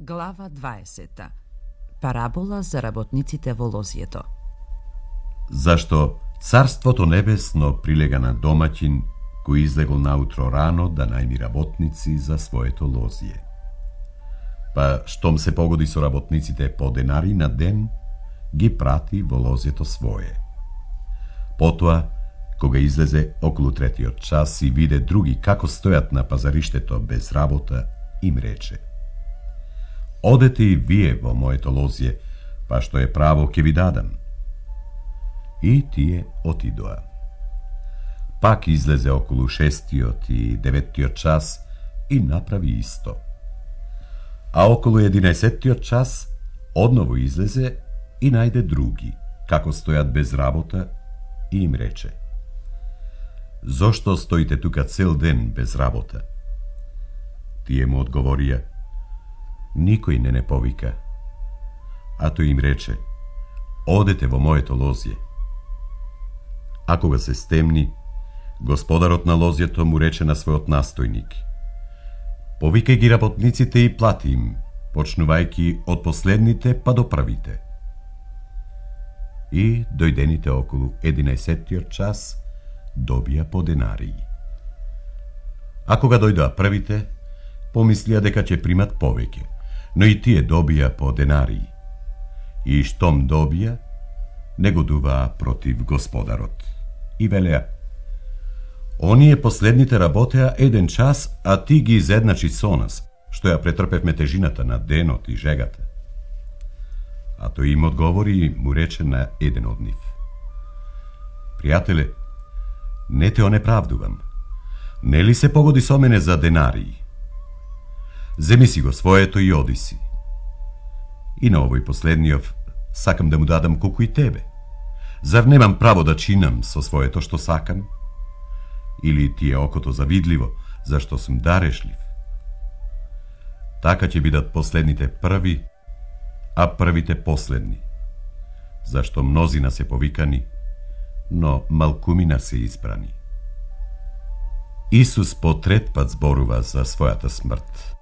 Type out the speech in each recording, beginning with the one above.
Глава 20. Парабола за работниците во лозјето. Зашто Царството небесно прилега на домаќин кој излегол наутро рано да најми работници за своето лозје. Па штом се погоди со работниците по денари на ден, ги прати во лозјето свое. Потоа, кога излезе околу 3-тиот час и виде други како стојат на пазариштето без работа, им рече: Одете и вие во моето лозје, па што е право ќе ви дадам. И тие отидоа. Пак излезе околу 6-тиот и 9-тиот час и направи исто. А околу 11-тиот час одново излезе и најде други, како стојат без работа, и им рече: Зошто стоите тука цел ден без работа? Тие му одговорија: Никој не повика. А тој им рече: Одете во моето лозје. А кога се стемни, господарот на лозјето му рече на својот настојник: Повикај ги работниците и плати им, почнувајќи од последните па до првите. И дојдените околу 11-тиот час добија по денарии. А кога дојдоа првите, помислија дека ќе примат повеќе, но и тие добија по денарии. И штом добија, негодуваа против господарот. И велеа: Оние последните работеа 1 час, а ти ги изедначи со нас, што ја претрпевме тежината на денот и жегата. А тој им одговори и му рече на еден од нив: Пријателе, не те онеправдувам. Нели се погоди со мене за денарии? Земи си го своето и оди си. И на овој последниот сакам да му дадам колку и тебе. Зар немам право да чинам со своето што сакам? Или ти е окото завидливо, зашто сум дарешлив? Така ќе бидат последните први, а првите последни. Зашто мнозина се повикани, но малкумина се избрани. Исус по 3 пат зборува за својата смрт.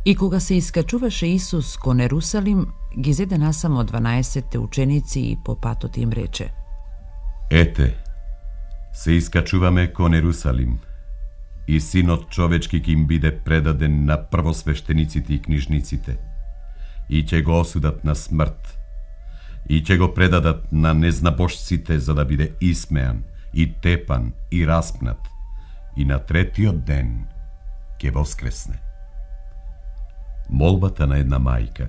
И кога се искачуваше Исус кон Ерусалим, ги зеде насамо 12 ученици и по патот им рече: Ете, се искачуваме кон Ерусалим, и Синот човечки ќе им биде предаден на првосвештениците и книжниците, и ќе го осудат на смрт, и ќе го предадат на незнабожците за да биде исмеан, и тепан, и распнат, и на 3-тиот ден ќе воскресне. Молбата на една мајка.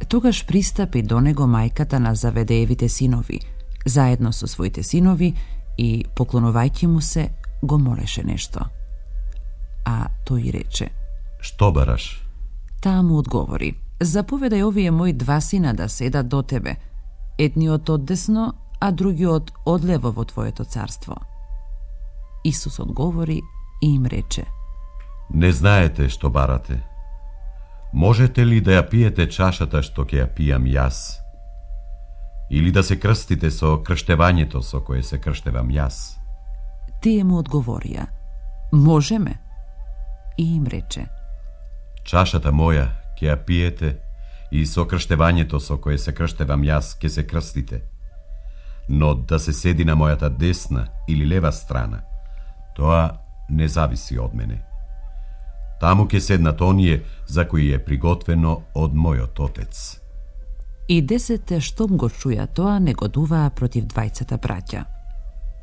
Тогаш пристапи до него мајката на Заведеевите синови, заедно со своите синови, и поклонувајќи му се, го молеше нешто. А тој рече: Што бараш? Таа му одговори: Заповедај овие мои 2 сина да седат до тебе, едниот од десно, а другиот одлево во твоето царство. Исус одговори и им рече: Не знаете што барате. Можете ли да ја пиете чашата што ќе ја пијам јас? Или да се крстите со крштевањето со кое се крштевам јас? Тие му одговорија: Можеме. И им рече: Чашата моја ќе ја пиете и со крштевањето со кое се крштевам јас ќе се крстите. Но да се седи на мојата десна или лева страна, тоа не зависи од мене. Таму ќе седнат оние за кои е приготвено од мојот Отец. И 10 штом го чуја тоа, негодуваа против 2 браќа.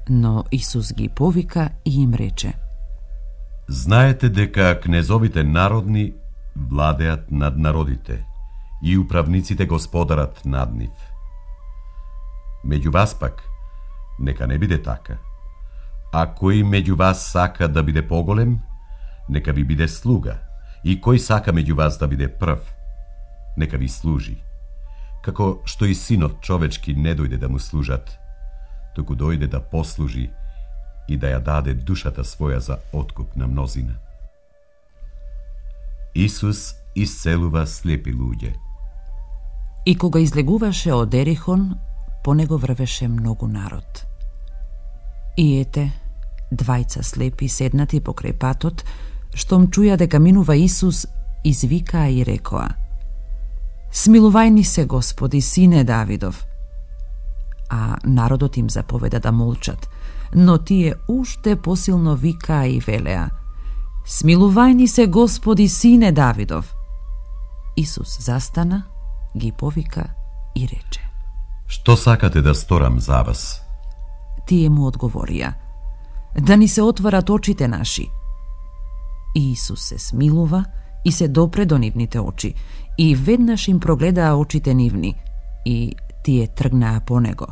Но Исус ги повика и им рече: Знаете дека кнезовите народни владеат над народите и управниците господарат над нив. Меѓу вас пак, нека не биде така. А кој меѓу вас сака да биде поголем, нека ви биде слуга, и кој сака меѓу вас да биде прв, нека ви служи. Како што и Синот човечки не дојде да му служат, туку дојде да послужи и да ја даде душата своја за откуп на мнозина. Исус исцелува слепи луѓе. И кога излегуваше од Ерихон, по него врвеше многу народ. И ете, 2 слепи седнати покрај патот, штом чуја дека минува Исус, извикаа и рекоа: Смилувајни се, Господи, сине Давидов. А народот им заповеда да молчат, но тие уште посилно викаа и велеа: Смилувајни се, Господи, сине Давидов. Исус застана, ги повика и рече: Што сакате да сторам за вас? Тие му одговорија: Да ни се отворат очите наши. И Исус се смилува и се допре до нивните очи, и веднаш им прогледаа очите нивни, и тие тргнаа по него.